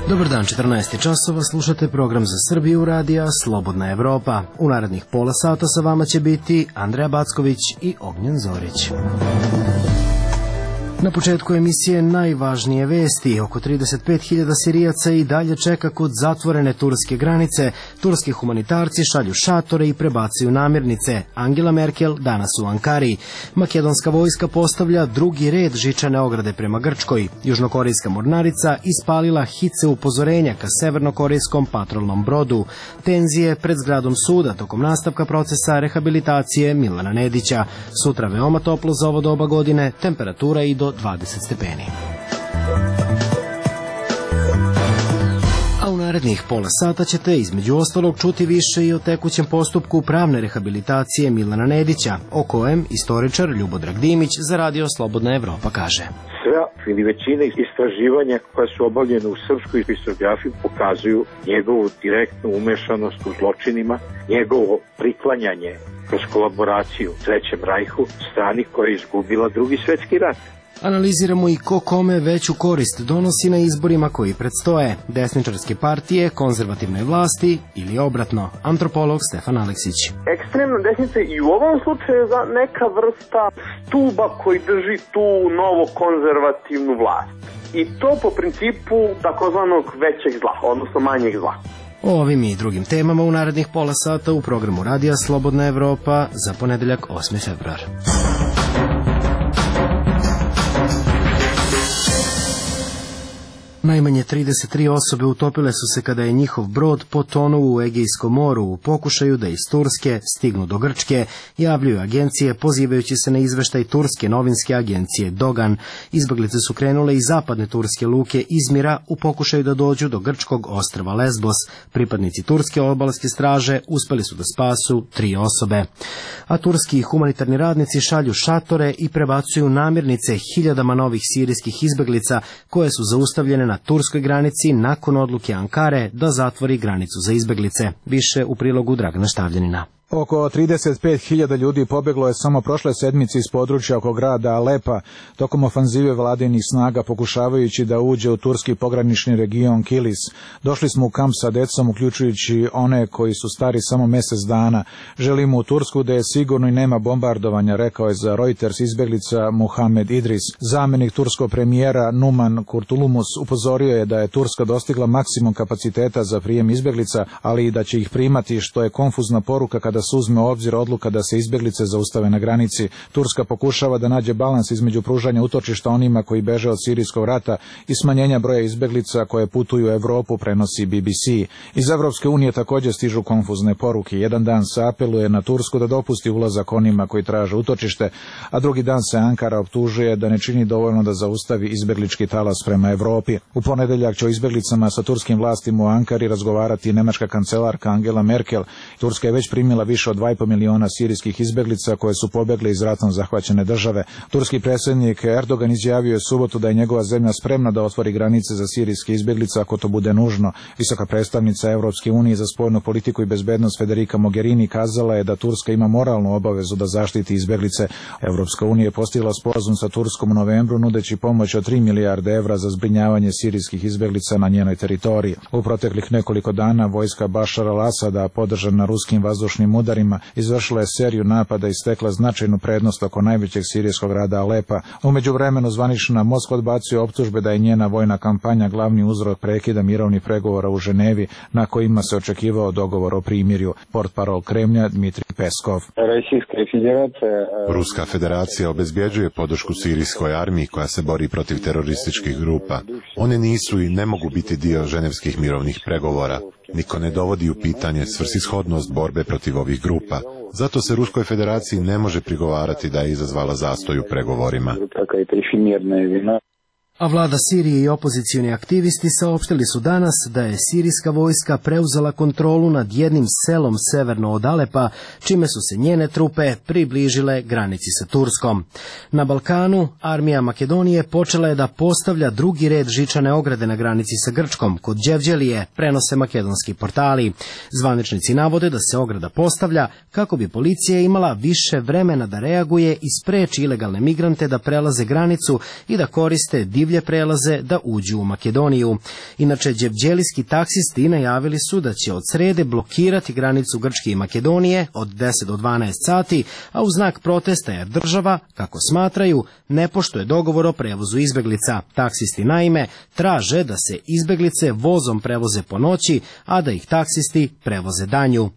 Dobar dan, 14 časova, slušate program za Srbiju radija Slobodna Evropa. U narednih pola sata sa vama će biti Andreja Backović i Ognjen Zorić. Na početku emisije najvažnije vesti. Oko 35.000 Sirijaca i dalje čeka kod zatvorene turske granice. Turski humanitarci šalju šatore i prebacuju namirnice. Angela Merkel danas u Ankari. Makedonska vojska postavlja drugi red žičane ograde prema Grčkoj. Južnokorejska mornarica ispalila hice upozorenja ka severnokorejskom patrolnom brodu. Tenzije pred zgradom suda tokom nastavka procesa rehabilitacije Milana Nedića. Sutra veoma toplo za ovo doba godine, temperatura i do 20 stepeni. A u narednih pola sata ćete između ostalog čuti više i o tekućem postupku pravne rehabilitacije Milana Nedića, o kojem istoričar Ljubodrag Dimić za radio Slobodna Evropa kaže. Sve ili većina istraživanja koja su obavljene u srpskoj historiografiji pokazuju njegovu direktnu umešanost u zločinima, njegovo priklanjanje kroz kolaboraciju u Trećem rajhu strani koja je izgubila Drugi svetski rat. Analiziramo i ko kome veću korist donosi na izborima koji predstoje, desničarske partije, konzervativne vlasti ili obratno. Antropolog Stefan Aleksić. Ekstremna desnica i u ovom slučaju je neka vrsta stuba koji drži tu novo konzervativnu vlast. I to po principu takozvanog većeg zla, odnosno manjeg zla. O ovim i drugim temama u narednih pola sata u programu radija Slobodna Evropa za ponedeljak 8. februar. Najmanje 33 osobe utopile su se kada je njihov brod potonuo u Egejskom moru u pokušaju da iz Turske stignu do Grčke, javljaju agencije pozivajući se na izveštaj turske novinske agencije Dogan. Izbeglice su krenule iz zapadne turske luke Izmira u pokušaju da dođu do grčkog ostrva Lesbos. Pripadnici turske obalske straže uspeli su da spasu 3 osobe. A turski humanitarni radnici šalju šatore i prebacuju namirnice hiljadama novih sirijskih izbeglica koje su zaustavljene na turskoj granici nakon odluke Ankare da zatvori granicu za izbeglice. Više u prilogu Dragana Štavljanina. Oko 35.000 ljudi pobeglo je samo prošle sedmice iz područja oko grada Alepa tokom ofanzive vladinih snaga pokušavajući da uđe u turski pogranični region Kilis. Došli smo u kamp sa decom, uključujući one koji su stari samo mjesec dana. Želimo u Tursku da je sigurno i nema bombardovanja, rekao je za Reuters izbeglica Muhammed Idris. Zamjenik turskog premijera Numan Kurtulumus upozorio je da je Turska dostigla maksimum kapaciteta za prijem izbeglica, ali i da će ih primati, što je konfuzna poruka kada se uzme u obzir odluka da se izbeglice zaustave na granici. Turska pokušava da nađe balans između pružanja utočišta onima koji beže od sirijskog rata i smanjenja broja izbeglica koje putuju u Evropu, prenosi BBC. Iz Evropske unije također stižu konfuzne poruke. Jedan dan se apeluje na Tursku da dopusti ulazak onima koji traže utočište, a drugi dan se Ankara optužuje da ne čini dovoljno da zaustavi izbeglički talas prema Evropi. U ponedeljak će o izbeglicama sa turskim vlastima u Ankari razgovarati nemačka kancelarka Angela Merkel. Turska je već primila više od 2,5 miliona sirijskih izbeglica koje su pobjegle iz ratom zahvaćene države. Turski predsjednik Erdogan izjavio je subotu da je njegova zemlja spremna da otvori granice za sirijske izbeglice ako to bude nužno. Visoka predstavnica Evropske unije za spoljnu politiku i bezbednost Federica Mogherini kazala je da Turska ima moralnu obavezu da zaštiti izbeglice. Evropska unija je postigla sporazum sa Turskom u novembru nudeći pomoć od 3 milijarde evra za zbrinjavanje sirijskih izbeglica na njenoj teritoriji. U proteklih nekoliko dana vojska Bašara al-Asada, podržana ruskim vazdušnim udarima, izvršila je seriju napada i stekla značajnu prednost oko najvećeg sirijskog grada Alepa. U međuvremenu zvanična Moskva odbacuje optužbe da je njena vojna kampanja glavni uzrok prekida mirovnih pregovora u Ženevi na kojima se očekivao dogovor o primirju. Portparol Kremlja Dmitrij Peskov. Ruska federacija obezbjeđuje podršku sirijskoj armiji koja se bori protiv terorističkih grupa. One nisu i ne mogu biti dio ženevskih mirovnih pregovora. Niko ne dovodi u pitanje svrsishodnost borbe protiv ovih grupa. Zato se Ruskoj federaciji ne može prigovarati da je izazvala zastoj u pregovorima. A vlada Sirije i opozicioni aktivisti saopštili su danas da je sirijska vojska preuzela kontrolu nad jednim selom severno od Alepa, čime su se njene trupe približile granici sa Turskom. Na Balkanu armija Makedonije počela je da postavlja drugi red žičane ograde na granici sa Grčkom, kod Đevđelije, prenose makedonski portali. Zvaničnici navode da se ograda postavlja kako bi policija imala više vremena da reaguje i spreči ilegalne migrante da prelaze granicu i da koriste divlje divlje prelaze da uđu u Makedoniju. Inače, đevđelijski taksisti najavili su da će od srede blokirati granicu Grčke i Makedonije od 10 do 12 sati, a u znak protesta jer država, kako smatraju, ne poštuje dogovor o prevozu izbeglica. Taksisti naime traže da se izbeglice vozom prevoze po noći, a da ih taksisti prevoze danju.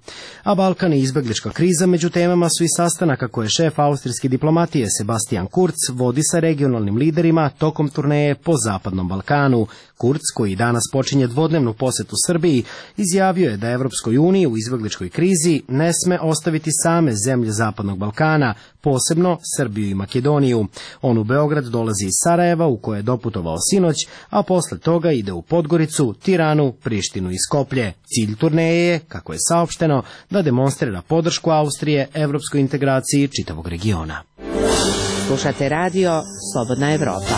A Balkan i izbeglička kriza među temama su i sastanaka koje šef austrijske diplomatije Sebastian Kurz vodi sa regionalnim liderima tokom turneje po Zapadnom Balkanu. Kurz, koji danas počinje dvodnevnu posetu Srbiji, izjavio je da Evropskoj uniji u izbegličkoj krizi ne sme ostaviti same zemlje Zapadnog Balkana, posebno Srbiju i Makedoniju. On u Beograd dolazi iz Sarajeva, u koje je doputovao sinoć, a posle toga ide u Podgoricu, Tiranu, Prištinu i Skoplje. Cilj turneje je, kako je saopšteno, da demonstrira podršku Austrije evropskoj integraciji čitavog regiona. Slušate radio Slobodna Evropa.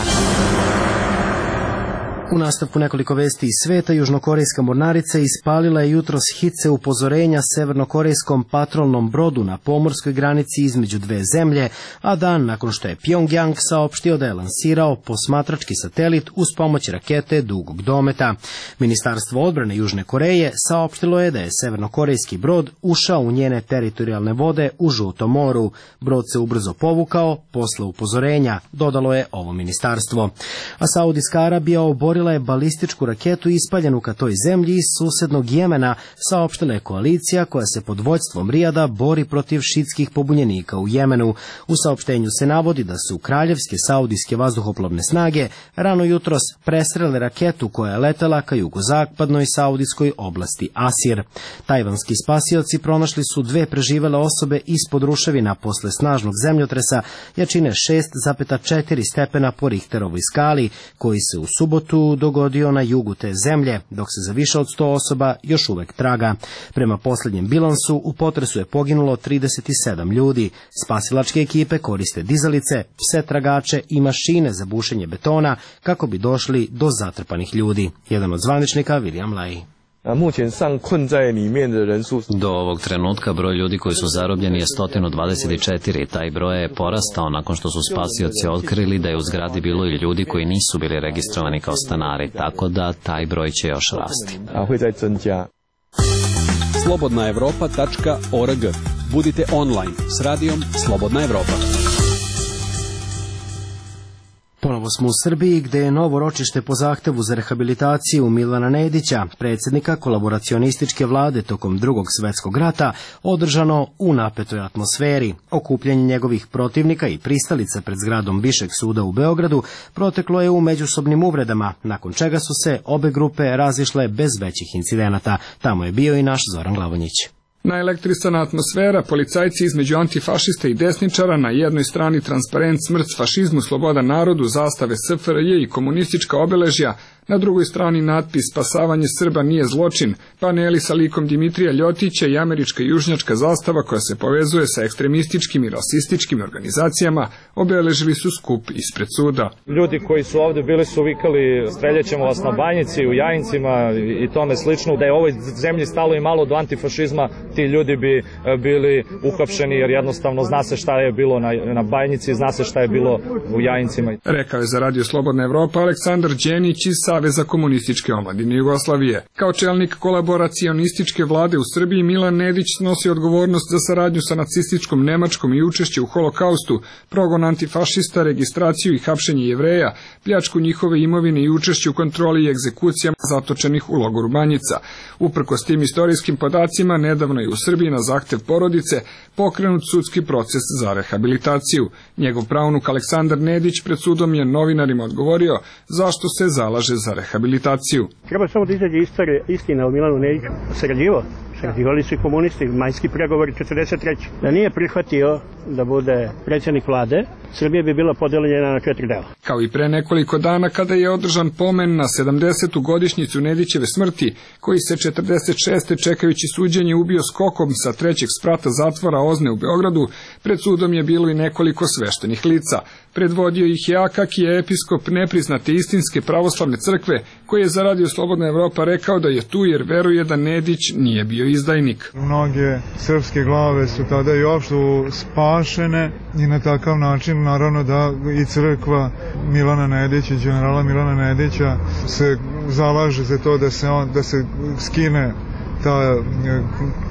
U nastavku nekoliko vesti iz sveta, južnokorejska mornarica ispalila je jutros hice upozorenja severnokorejskom patrolnom brodu na pomorskoj granici između dve zemlje, a dan nakon što je Pjongjang saopštio da je lansirao posmatrački satelit uz pomoć rakete dugog dometa. Ministarstvo odbrane Južne Koreje saopštilo je da je severnokorejski brod ušao u njene teritorijalne vode u Žutom moru. Brod se ubrzo povukao posle upozorenja, dodalo je ovo ministarstvo. A Saudijska Arabija oborila je balističku raketu ispaljenu ka toj zemlji iz susednog Jemena, saopštila je koalicija koja se pod vođstvom Rijada bori protiv šitskih pobunjenika u Jemenu. U saopštenju se navodi da su kraljevske saudijske vazduhoplovne snage rano jutros presrele raketu koja je letela ka jugozapadnoj saudijskoj oblasti Asir. Tajvanski spasioci pronašli su dve preživele osobe ispod ruševina posle snažnog zemljotresa jačine 6,4 stepena po Richterovoj skali, koji se u subotu dogodio na jugu te zemlje, dok se za više od 100 osoba još uvek traga. Prema posljednjem bilansu, u potresu je poginulo 37 ljudi. Spasilačke ekipe koriste dizalice, pse tragače i mašine za bušenje betona kako bi došli do zatrpanih ljudi. Jedan od zvaničnika, William Lai. Do ovog trenutka broj ljudi koji su zarobljeni je 124. Taj broj je porastao nakon što su spasioci otkrili da je u zgradi bilo i ljudi koji nisu bili registrovani kao stanari, tako da taj broj će još rasti. Slobodnaevropa.org. Budite online s radijom Slobodna Evropa. Ponovo smo u Srbiji, gde je novo ročište po zahtevu za rehabilitaciju Milana Nedića, predsjednika kolaboracionističke vlade tokom Drugog svjetskog rata, održano u napetoj atmosferi. Okupljanje njegovih protivnika i pristalica pred zgradom Višeg suda u Beogradu proteklo je u međusobnim uvredama, nakon čega su se obe grupe razišle bez većih incidenata. Tamo je bio i naš Zoran Glavonjić. Naelektrisana atmosfera, policajci između antifašista i desničara, na jednoj strani transparent smrt fašizmu, sloboda narodu, zastave SFRJ i komunistička obeležja, na drugoj strani natpis spasavanje Srba nije zločin, paneli sa likom Dimitrija Ljotića i američka južnjačka zastava koja se povezuje sa ekstremističkim i rasističkim organizacijama obeležili su skup ispred suda. Ljudi koji su ovde bili su vikali streljaćemo vas na Banjici, u Jajincima i tome slično, da je ovoj zemlji stalo i malo do antifašizma, ti ljudi bi bili uhapšeni jer jednostavno zna se šta je bilo na Banjici, zna se šta je bilo u Jajincima. Rekao je za Radio Slobodna Evropa Aleksandar Đenić iz Saveza komunističke omladine Jugoslavije. Kao čelnik kolaboracionističke vlade u Srbiji, Milan Nedić snosi odgovornost za saradnju sa nacističkom Nemačkom i učešće u holokaustu, progon antifašista, registraciju i hapšenje Jevreja, pljačku njihove imovine i učešće u kontroli i egzekucijama zatočenih u logoru Banjica. Uprkos tim istorijskim podacima, nedavno je u Srbiji na zahtev porodice pokrenut sudski proces za rehabilitaciju. Njegov pravnuk Aleksandar Nedić pred sudom je novinarima odgovorio zašto se zalaže za rehabilitaciju. Treba samo da izađe istina o Milanu Nediću. Sarađivali su i komunisti, majski pregovori 43. Da nije prihvatio da bude predsjednik vlade, Srbija bi bila podeljena na 4 dela. Kao i pre nekoliko dana kada je održan pomen na 70. godišnjicu Nedićeve smrti, koji se 46. čekajući suđenje ubio skokom sa 3. sprata zatvora Ozne u Beogradu, pred sudom je bilo i nekoliko sveštenih lica. Predvodio ih je Akakije, episkop nepriznate istinske pravoslavne crkve, koji je za Radio Slobodna Evropa rekao da je tu jer veruje da Nedić nije bio izdajnik. Mnoge srpske glave su tada i uopšte spašene i na takav način naravno da i crkva Milana Nedića, generala Milana Nedića se zalaže za to da se skine ta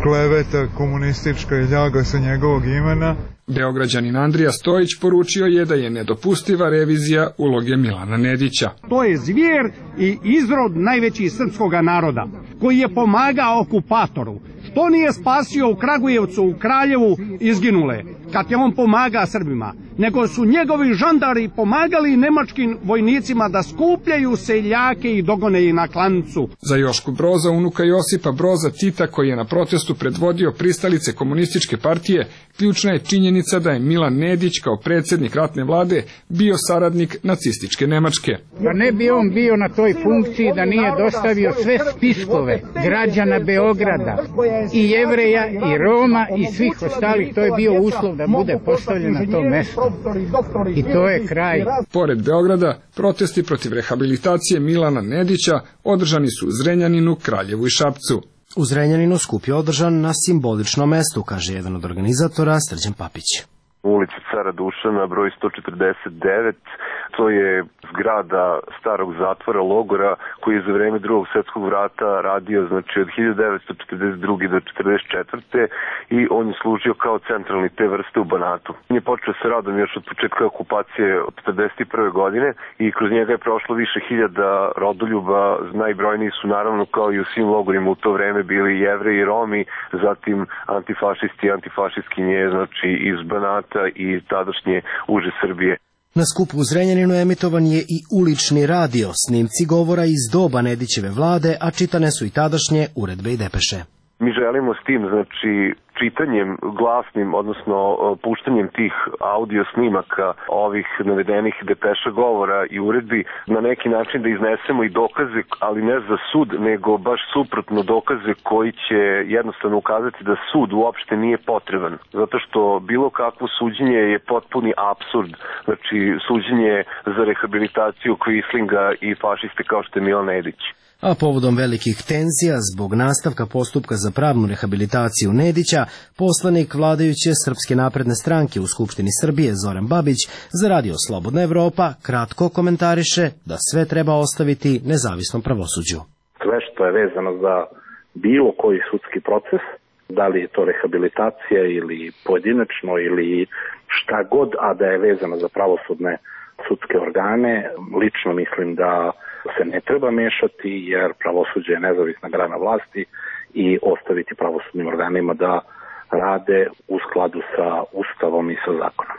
kleveta komunistička i ljaga sa njegovog imena. Beograđanin Andrija Stojić poručio je da je nedopustiva revizija uloge Milana Nedića. To je zvjer i izrod najvećih srpskog naroda, koji je pomagao okupatoru. Što nije spasio u Kragujevcu, u Kraljevu izginule, kad je on pomaga Srbima, nego su njegovi žandari pomagali nemačkim vojnicima da skupljaju seljake i dogone ih na klancu. Za Jošku Broza, unuka Josipa Broza Tita, koji je na protestu predvodio pristalice komunističke partije, ključna je činjenica da je Milan Nedić kao predsjednik ratne vlade bio saradnik nacističke Nemačke. Da ne bi on bio na toj funkciji da nije dostavio sve spiskove građana Beograda, i Jevreja, i Roma, i svih ostalih, to je bio uslov da bude postavljen na to mesto. I to je kraj. Pored Beograda, protesti protiv rehabilitacije Milana Nedića održani su u Zrenjaninu, Kraljevu i Šapcu. U Zrenjaninu skup je održan na simboličnom mestu, kaže jedan od organizatora, Srđan Papić. Ulica Cara Dušana, broj 149, to je zgrada starog zatvora, logora, koji je za vreme Drugog svjetskog rata radio, znači od 1942. do 1944. i on je služio kao centralni te vrste u Banatu. On je počeo sa radom još od početka okupacije od 1941. godine i kroz njega je prošlo više hiljada rodoljuba, najbrojniji su naravno kao i u svim logorima u to vreme bili Jevreji i Romi, zatim antifašisti i antifašistkinje, znači iz Banata i tadašnje uže Srbije. Na skupu u Zrenjaninu emitovan je i ulični radio, snimci govora iz doba Nedićeve vlade, a čitane su i tadašnje uredbe i depeše. Mi želimo s tim, znači, čitanjem glasnim, odnosno puštanjem tih audio snimaka ovih navedenih depeša govora i uredbi na neki način da iznesemo i dokaze, ali ne za sud, nego baš suprotno dokaze koji će jednostavno ukazati da sud uopšte nije potreban. Zato što bilo kakvo suđenje je potpuni apsurd, znači suđenje za rehabilitaciju Quislinga i fašiste kao što je Milan Nedić. A povodom velikih tenzija zbog nastavka postupka za pravnu rehabilitaciju Nedića, poslanik vladajuće Srpske napredne stranke u Skupštini Srbije Zoran Babić za radio Slobodna Evropa kratko komentariše da sve treba ostaviti nezavisnom pravosuđu. Sve što je vezano za bilo koji sudski proces, da li je to rehabilitacija ili pojedinačno ili šta god, a da je vezano za pravosudne sudske organe, lično mislim da se ne treba mešati jer pravosuđe je nezavisna grana vlasti i ostaviti pravosudnim organima da rade u skladu sa Ustavom i sa zakonom.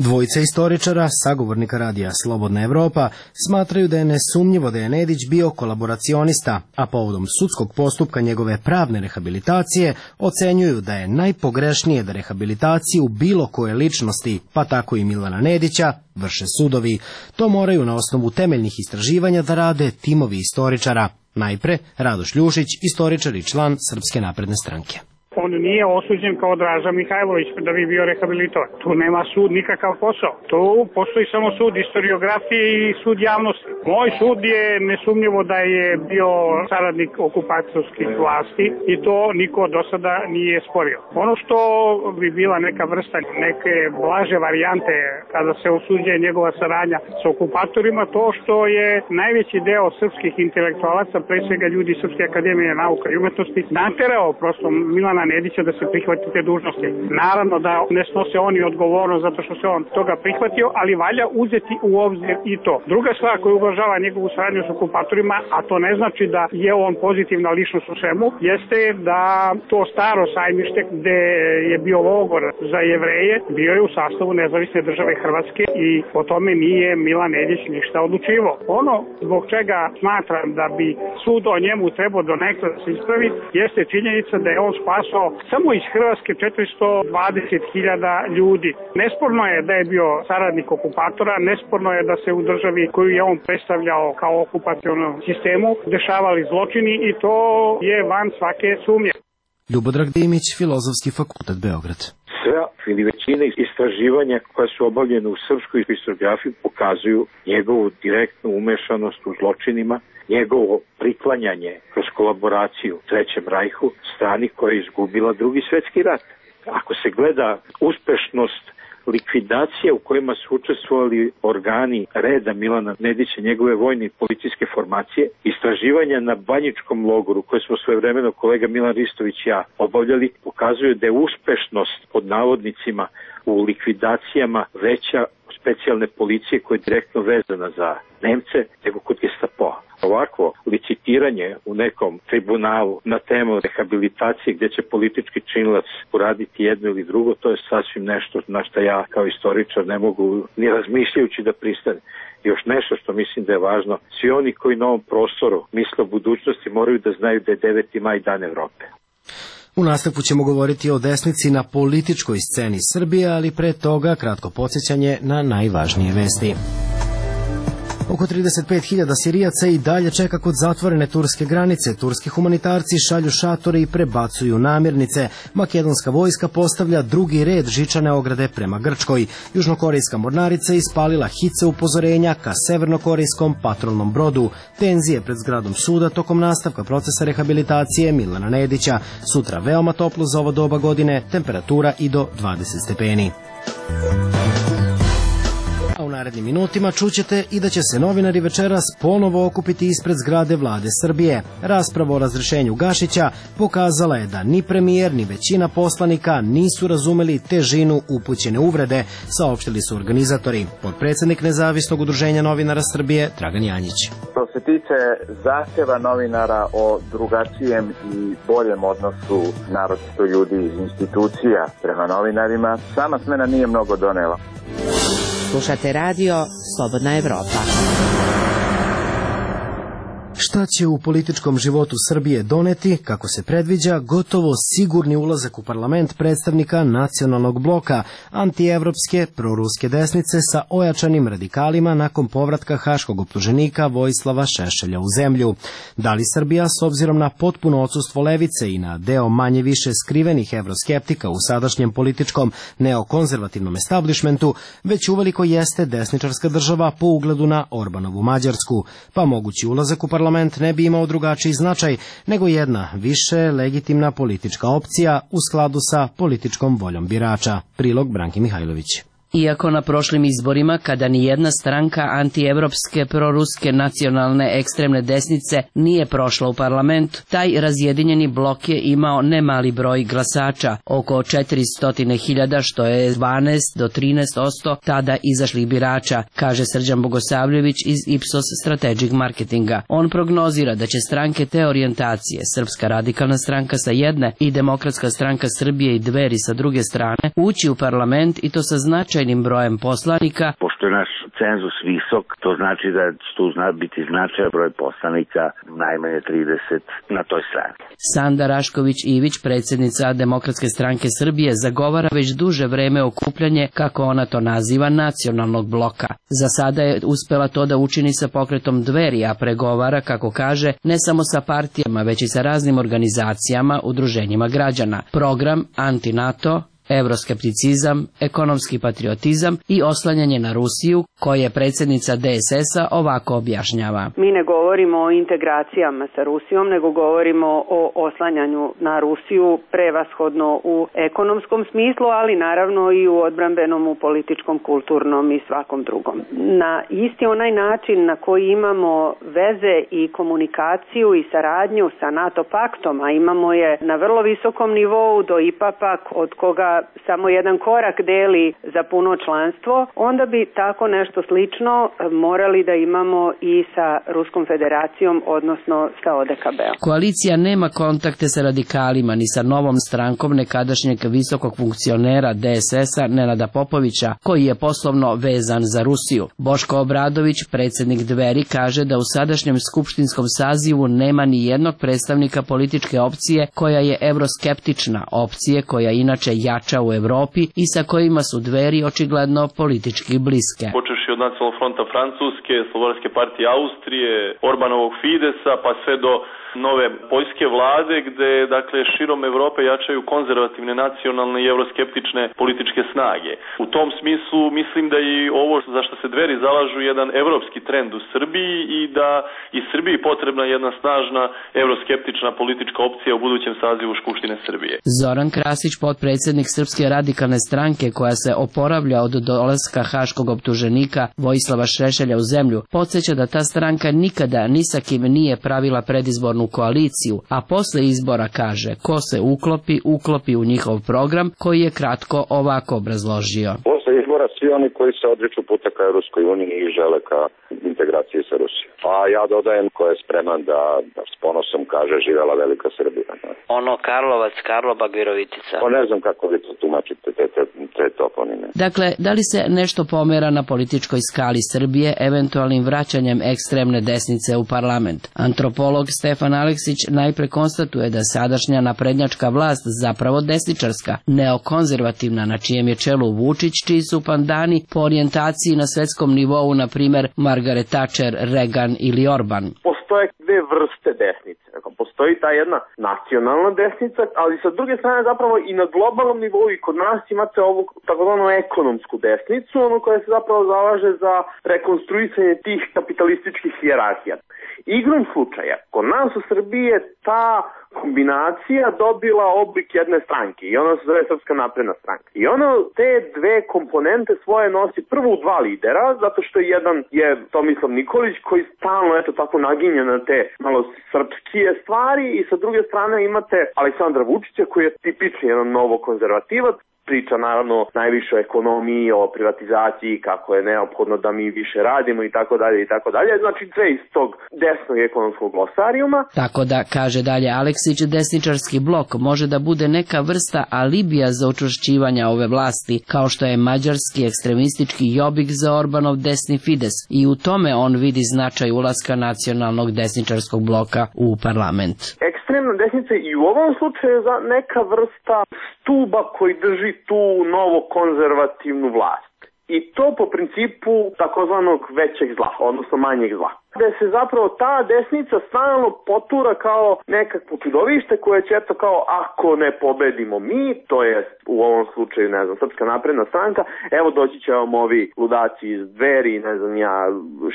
Dvojica istoričara, sagovornika radija Slobodna Evropa, smatraju da je nesumnjivo da je Nedić bio kolaboracionista, a povodom sudskog postupka njegove pravne rehabilitacije ocenjuju da je najpogrešnije da rehabilitaciju bilo koje ličnosti, pa tako i Milana Nedića, vrše sudovi. To moraju na osnovu temeljnih istraživanja da rade timovi istoričara. Najpre Radoš Ljušić, istoričar i član Srpske napredne stranke. On nije osuđen kao Draža Mihajlović da bi bio rehabilitovan. Tu nema sud nikakav posao. Tu postoji samo sud historiografije i sud javnosti. Moj sud je nesumnjivo da je bio saradnik okupacijskih vlasti i to niko do sada nije sporio. Ono što bi bila neka vrsta, neke blaže varijante kada se osuđuje njegova saradnja sa okupatorima, to što je najveći deo srpskih intelektualaca, pre svega ljudi Srpske akademije nauka i umetnosti, naterao prosto Milana Nedića da se prihvati te dužnosti. Naravno da ne snose oni odgovornost zato što se on toga prihvatio, ali valja uzeti u obzir i to. Druga stvar koja uvažava njegovu saradnju s okupatorima, a to ne znači da je on pozitivna ličnost u svemu, jeste da to staro sajmište gde je bio logor za Jevreje, bio je u sastavu nezavisne države Hrvatske i o tome nije Milan Nedić ništa odlučivao. Ono zbog čega smatram da bi sud o njemu trebao donekle da se ispravi, jeste činjenica da je on spasao samo iz Hrvatske 420.000 ljudi. Nesporno je da je bio saradnik okupatora, nesporno je da se u državi koju je on predstavljao kao okupacionom sistemu dešavali zločini i to je van svake sumnje. Ljubodrag Dimić, Filozofski fakultet Beograd. Sve ili većina istraživanja koja su obavljene u srpskoj historiografiji pokazuju njegovu direktnu umešanost u zločinima, njegovo priklanjanje kroz kolaboraciju u Trećem rajhu strani koja je izgubila Drugi svjetski rat. Ako se gleda uspešnost likvidacija u kojima su učestvovali organi reda Milana Nedića, njegove vojne i policijske formacije, istraživanja na Banjičkom logoru koje smo svojevremeno kolega Milan Ristović i ja obavljali, pokazuju da je uspešnost pod navodnicima u likvidacijama veća specijalne policije koja je direktno vezana za Nemce nego kod Gestapoa. Ovako licitiranje u nekom tribunalu na temu rehabilitacije gdje će politički činilac uraditi jedno ili drugo, to je sasvim nešto na što ja kao istoričar ne mogu ni razmišljajući da pristane. Još nešto što mislim da je važno, svi oni koji na ovom prostoru misle o budućnosti moraju da znaju da je 9. maj dan Evrope. U nastavku ćemo govoriti o desnici na političkoj sceni Srbije, ali pre toga kratko podsjećanje na najvažnije vesti. Oko 35.000 Sirijaca i dalje čeka kod zatvorene turske granice. Turski humanitarci šalju šatore i prebacuju namirnice. Makedonska vojska postavlja drugi red žičane ograde prema Grčkoj. Južnokorejska mornarica ispalila hice upozorenja ka severnokorejskom patrolnom brodu. Tenzije pred zgradom suda tokom nastavka procesa rehabilitacije Milana Nedića. Sutra veoma toplo za ovo doba godine, temperatura i do 20 stepeni. A u narednim minutima čućete i da će se novinari večeras ponovo okupiti ispred zgrade Vlade Srbije. Rasprava o razrešenju Gašića pokazala je da ni premijer ni većina poslanika nisu razumeli težinu upućene uvrede, saopštili su organizatori. Potpredsednik Nezavisnog udruženja novinara Srbije Dragan Janjić. Što se tiče zahteva novinara o drugačijem i boljem odnosu naročito ljudi iz institucija prema novinarima, sama smena nije mnogo donela. Slušate radio Slobodna Evropa. Šta će u političkom životu Srbije doneti, kako se predviđa, gotovo sigurni ulazak u parlament predstavnika nacionalnog bloka, antievropske, proruske desnice sa ojačanim radikalima nakon povratka haškog optuženika Vojislava Šešelja u zemlju. Da li Srbija, s obzirom na potpuno odsustvo levice i na deo manje više skrivenih evroskeptika u sadašnjem političkom neokonzervativnom establishmentu, već uveliko jeste desničarska država po ugledu na Orbanovu Mađarsku, pa mogući ulazak u parlament ne bi imao drugačiji značaj nego jedna više legitimna politička opcija u skladu sa političkom voljom birača. Prilog Branki Mihajlović. Iako na prošlim izborima, kada ni jedna stranka antievropske, proruske, nacionalne, ekstremne desnice nije prošla u parlament, taj razjedinjeni blok je imao nemali broj glasača, oko 400.000, što je 12 do 13% tada izašlih birača, kaže Srđan Bogosavljević iz Ipsos Strategic Marketinga. On prognozira da će stranke te orijentacije, Srpska radikalna stranka sa jedne i Demokratska stranka Srbije i Dveri sa druge strane, ući u parlament i to sa značajnim brojem poslanika. Pošto je naš cenzus visok, to znači da će tu biti značajan broj poslanika, najmanje 30 na toj strani. Sanda Rašković-Ivić, predsjednica Demokratske stranke Srbije, zagovara već duže vreme okupljanje, kako ona to naziva, nacionalnog bloka. Za sada je uspela to da učini sa pokretom Dveri, a pregovara, kako kaže, ne samo sa partijama, već i sa raznim organizacijama, udruženjima građana. Program anti-NATO, evroskepticizam, ekonomski patriotizam i oslanjanje na Rusiju, koje predsjednica DSS-a ovako objašnjava. Mi ne govorimo o integracijama sa Rusijom, nego govorimo o oslanjanju na Rusiju prevashodno u ekonomskom smislu, ali naravno i u odbrambenom, u političkom, kulturnom i svakom drugom. Na isti onaj način na koji imamo veze i komunikaciju i saradnju sa NATO paktom, a imamo je na vrlo visokom nivou do IPA-a, od koga samo jedan korak deli za puno članstvo, onda bi tako nešto slično morali da imamo i sa Ruskom federacijom, odnosno sa ODKB-om. Koalicija nema kontakte sa radikalima ni sa novom strankom nekadašnjeg visokog funkcionera DSS-a Nenada Popovića, koji je poslovno vezan za Rusiju. Boško Obradović, predsjednik Dveri, kaže da u sadašnjem skupštinskom sazivu nema ni jednog predstavnika političke opcije koja je evroskeptična, opcije koja inače jača u Evropi i sa kojima su Dveri očigledno politički bliske. Počeši od Nacionalnog fronta Francuske, Slobodarske partije Austrije, Orbanovog Fidesa, pa sve do nove poljske vlade gde dakle širom Evrope jačaju konzervativne, nacionalne i euroskeptične političke snage. U tom smislu mislim da i ovo za što se Dveri zalažu jedan evropski trend u Srbiji i da i Srbiji potrebna jedna snažna euroskeptična politička opcija u budućem sazivu Skupštine Srbije. Zoran Krasić, potpredsjednik Srpske radikalne stranke koja se oporavlja od dolaska haškog optuženika Vojislava Šešelja u zemlju, podsjeća da ta stranka nikada ni sa kim nije pravila predizbornu koaliciju, a posle izbora kaže ko se uklopi u njihov program koji je kratko ovako obrazložio. Posle izbora svi oni koji se odriču puta ka Evropskoj uniji i žele ka integraciji sa Rusijom. A ja dodajem ko je spreman da s ponosom kaže živela velika Srbija. Ono Karlovac, Karlobag, Virovitica. Ne znam kako vi to tumačite te toponime. Dakle, da li se nešto pomera na političkoj skali Srbije eventualnim vraćanjem ekstremne desnice u parlament? Antropolog Stefan Aleksić najpre konstatuje da sadašnja naprednjačka vlast zapravo desničarska, neokonzervativna, na čijem je čelu Vučić, čiji su pandani po orijentaciji na svetskom nivou, na primer Margaret Thatcher, Reagan ili Orban. Postoje dve vrste desnice. Postoji ta jedna nacionalna desnica, ali sa druge strane zapravo i na globalnom nivou i kod nas imate ovu takozvanu ekonomsku desnicu, ono koja se zapravo zalaže za rekonstruisanje tih kapitalističkih hijerarhija. Igrom slučaja, kod nas u Srbiji je ta kombinacija dobila oblik jedne stranke i ona se zove Srpska napredna stranka. I ona te dve komponente svoje nosi prvo u dva lidera, zato što jedan je Tomislav Nikolić koji stalno tako naginje na te malo srpskije stvari i sa druge strane imate Aleksandra Vučića koji je tipični jedan novo konzervativac. Priča naravno najviše o ekonomiji, o privatizaciji, kako je neophodno da mi više radimo i tako dalje i tako dalje. Znači sve iz tog desnog ekonomskog glosarijuma. Tako da, kaže dalje Aleksić, desničarski blok može da bude neka vrsta alibija za učvršćivanje ove vlasti, kao što je mađarski ekstremistički Jobbik za Orbanov desni Fides, i u tome on vidi značaj ulaska nacionalnog desničarskog bloka u parlament. Ekstremna desnica i u ovom slučaju je neka vrsta stuba koji drži tu novo konzervativnu vlast. I to po principu takozvanog većeg zla, odnosno manjeg zla. Gde se zapravo ta desnica stalno potura kao nekakvo čudovište koje će kao ako ne pobedimo mi, to je u ovom slučaju, Srpska napredna stranka, evo doći će vam ovi ludaci iz Dveri,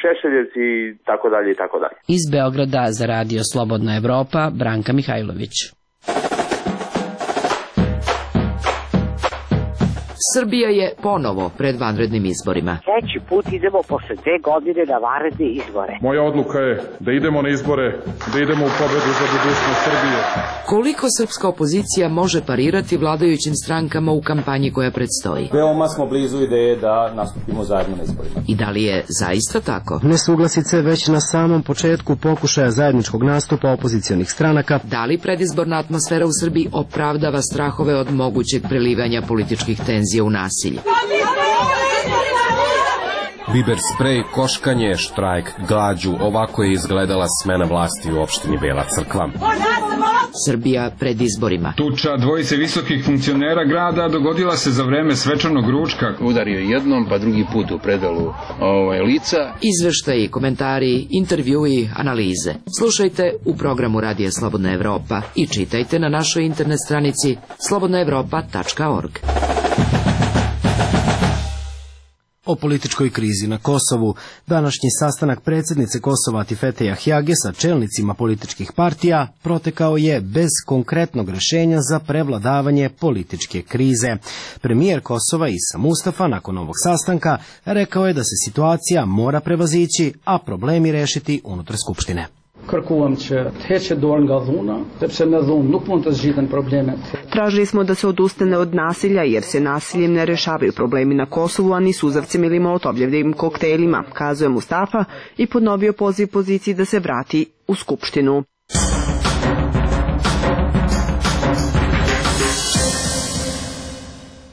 Šešeljevci i tako dalje i tako dalje. Iz Beograda za Radio Slobodna Evropa, Branka Mihajlović. Srbija je ponovo pred vanrednim izborima. Treći put idemo posle 2 godine na vanredne izbore. Moja odluka je da idemo na izbore, da idemo u pobedu za budućnost Srbije. Koliko srpska opozicija može parirati vladajućim strankama u kampanji koja predstoji? Veoma smo blizu ideje da nastupimo zajedno na izborima. I da li je zaista tako? Nesuglasice već na samom početku pokušaja zajedničkog nastupa opozicionih stranaka. Da li predizborna atmosfera u Srbiji opravdava strahove od mogućeg prelivanja političkih tenzija u nasilje? Biber sprej, koškanje, štrajk, glađu, ovako je izgledala smena vlasti u opštini Bela Crkva. Srbija pred izborima. Tuča dvojice visokih funkcionera grada dogodila se za vreme svečanog ručka. Udario jednom, pa drugi put u predalu lica. Izveštaji, komentari, intervjui, analize. Slušajte u programu Radija Slobodna Evropa i čitajte na našoj internet stranici slobodnaevropa.org. O političkoj krizi na Kosovu. Današnji sastanak predsjednice Kosova Atifete Jahjage sa čelnicima političkih partija protekao je bez konkretnog rješenja za prevladavanje političke krize. Premijer Kosova Isa Mustafa nakon ovog sastanka rekao je da se situacija mora prevazići, a problemi rešiti unutar Skupštine. Tražili smo da se odustane od nasilja jer se nasiljem ne rešavaju problemi na Kosovu, a ni suzavcem ili molotovljevim koktelima, kazuje Mustafa i ponovio poziv poziciji da se vrati u Skupštinu.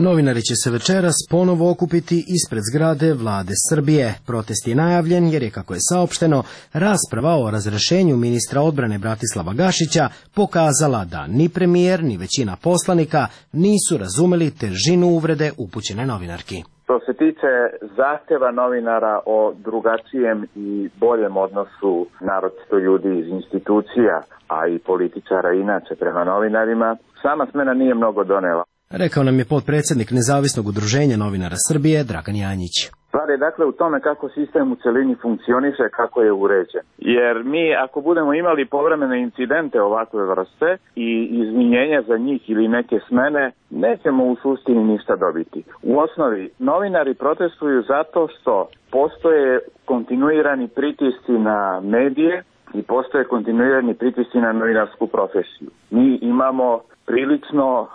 Novinari će se večeras ponovo okupiti ispred zgrade Vlade Srbije. Protest je najavljen jer je, kako je saopšteno, rasprava o razrešenju ministra odbrane Bratislava Gašića pokazala da ni premijer ni većina poslanika nisu razumeli težinu uvrede upućene novinarki. Što se tiče zahteva novinara o drugačijem i boljem odnosu naročito ljudi iz institucija, a i političara inače prema novinarima, sama smena nije mnogo donela. Rekao nam je potpredsjednik Nezavisnog udruženja novinara Srbije, Dragan Janjić. Stvar je dakle u tome kako sistem u celini funkcioniše, kako je uređen. Jer mi ako budemo imali povremene incidente ovakve vrste i izvinjenja za njih ili neke smene, nećemo u suštini ništa dobiti. U osnovi, novinari protestuju zato što postoje kontinuirani pritisci na medije i postoje kontinuirani pritisci na novinarsku profesiju. Mi imamo prilično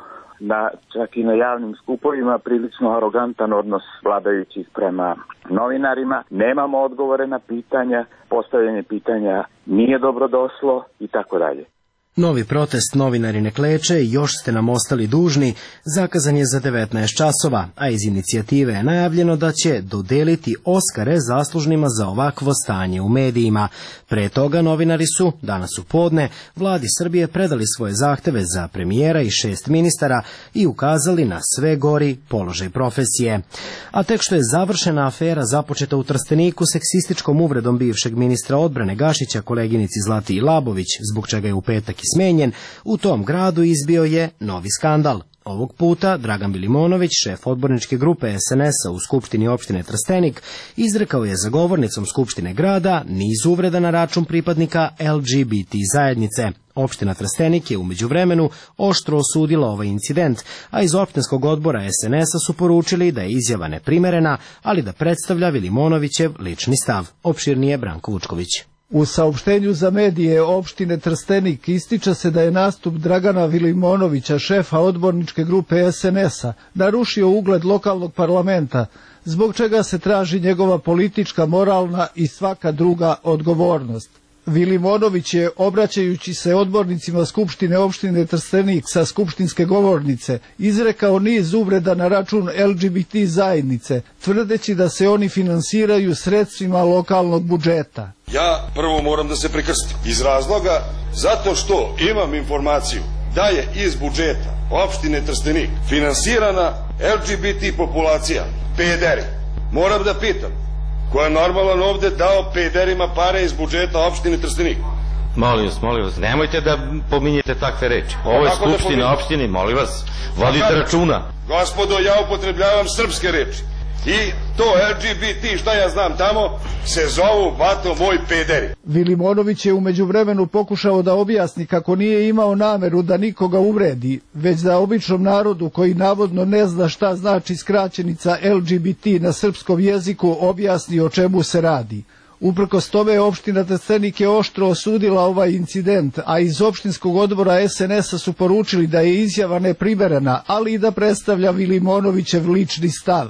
čak i na javnim skupovima prilično arogantan odnos vladajućih prema novinarima. Nemamo odgovore na pitanja, postavljanje pitanja nije dobro došlo i tako dalje. Novi protest Novinari ne kleče, još ste nam ostali dužni, zakazan je za 19 časova, a iz inicijative je najavljeno da će dodeliti Oskare zaslužnima za ovakvo stanje u medijima. Pre toga novinari su, danas u podne, vladi Srbije predali svoje zahteve za premijera i 6 ministara i ukazali na sve gori položaj profesije. A tek što je završena afera započeta u Trsteniku seksističkom uvredom bivšeg ministra odbrane Gašića koleginici Zlati Labović, zbog čega je u petak smenjen, u tom gradu izbio je novi skandal. Ovog puta Dragan Bilimonović, šef odborničke grupe SNS-a u Skupštini opštine Trstenik, izrekao je za govornicom Skupštine grada niz uvreda na račun pripadnika LGBT zajednice. Opština Trstenik je u međuvremenu oštro osudila ovaj incident, a iz opštinskog odbora SNS-a su poručili da je izjava neprimerena, ali da predstavlja Vilimonovićev lični stav. Opširnije Branko Vučković. U saopštenju za medije opštine Trstenik ističe se da je nastup Dragana Vilimonovića, šefa odborničke grupe SNS-a, narušio ugled lokalnog parlamenta, zbog čega se traži njegova politička, moralna i svaka druga odgovornost. Vilimonović je, obraćajući se odbornicima Skupštine opštine Trstenik sa skupštinske govornice, izrekao niz uvreda na račun LGBT zajednice, tvrdeći da se oni finansiraju sredstvima lokalnog budžeta. Ja prvo moram da se prekrstim iz razloga zato što imam informaciju da je iz budžeta opštine Trstenik finansirana LGBT populacija, pederi. Moram da pitam, ko je normalan ovde dao pederima pare iz budžeta opštine Trstenik? Molim vas, nemojte da pominjete takve reči. Ovo je skupština opštine, molim vas, vodite računa. Gospodo, ja upotrebljavam srpske reči. I to LGBT, šta ja znam tamo, se zovu, bato, moj pederi. Vilimonović je u međuvremenu pokušao da objasni kako nije imao nameru da nikoga uvredi, već da običnom narodu koji navodno ne zna šta znači skraćenica LGBT na srpskom jeziku objasni o čemu se radi. Uprkos tome, opština Trstenik je oštro osudila ovaj incident, a iz opštinskog odbora SNS-a su poručili da je izjava neprimerena, ali i da predstavlja Vilimonovićev lični stav.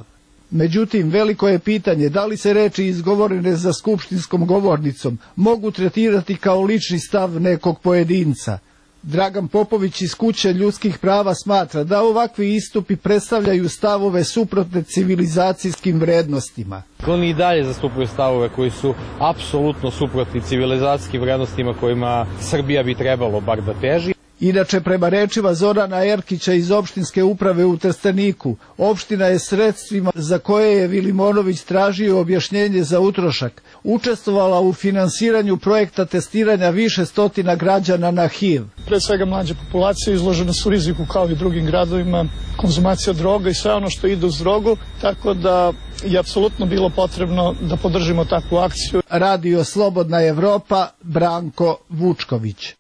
Međutim, veliko je pitanje da li se reči izgovorene za skupštinskom govornicom mogu tretirati kao lični stav nekog pojedinca. Dragan Popović iz Kuće ljudskih prava smatra da ovakvi istupi predstavljaju stavove suprotne civilizacijskim vrednostima. Oni i dalje zastupaju stavove koji su apsolutno suprotni civilizacijskim vrednostima kojima Srbija bi trebalo bar da teži. Inače, prema rečima Zorana Erkića iz opštinske uprave u Trsteniku, opština je sredstvima za koje je Vilimonović tražio objašnjenje za utrošak učestvovala u finansiranju projekta testiranja više stotina građana na HIV. Pre svega mlađe populacije izložene su riziku kao i drugim gradovima, konzumacija droga i sve ono što ide uz drogu, tako da je apsolutno bilo potrebno da podržimo takvu akciju. Radio Slobodna Evropa, Branko Vučković.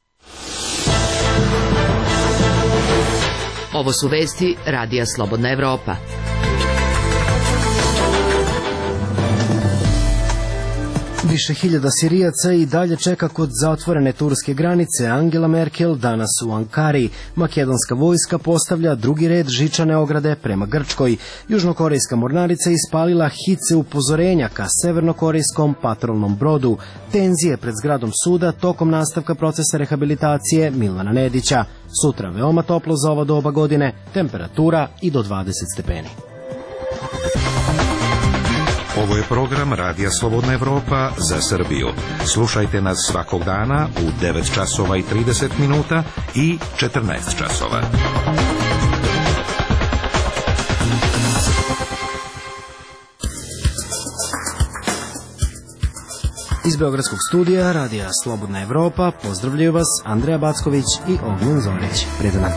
Ovo su vesti Radija Slobodna Evropa. Više hiljada Sirijaca i dalje čeka kod zatvorene turske granice. Angela Merkel danas u Ankari. Makedonska vojska postavlja drugi red žičane ograde prema Grčkoj. Južnokorejska mornarica ispalila hice upozorenja ka severnokorejskom patrolnom brodu. Tenzije pred zgradom suda tokom nastavka procesa rehabilitacije Milana Nedića. Sutra veoma toplo za ovo doba godine, temperatura i do 20 stepeni. Ovo je program Radija Slobodna Evropa za Srbiju. Slušajte nas svakog dana u 9 časova i 30 minuta i 14 časova. Iz Beogradskog studija Radija Slobodna Evropa pozdravljaju vas Andreja Backović i Ognjen Zorić. Prijatno dan.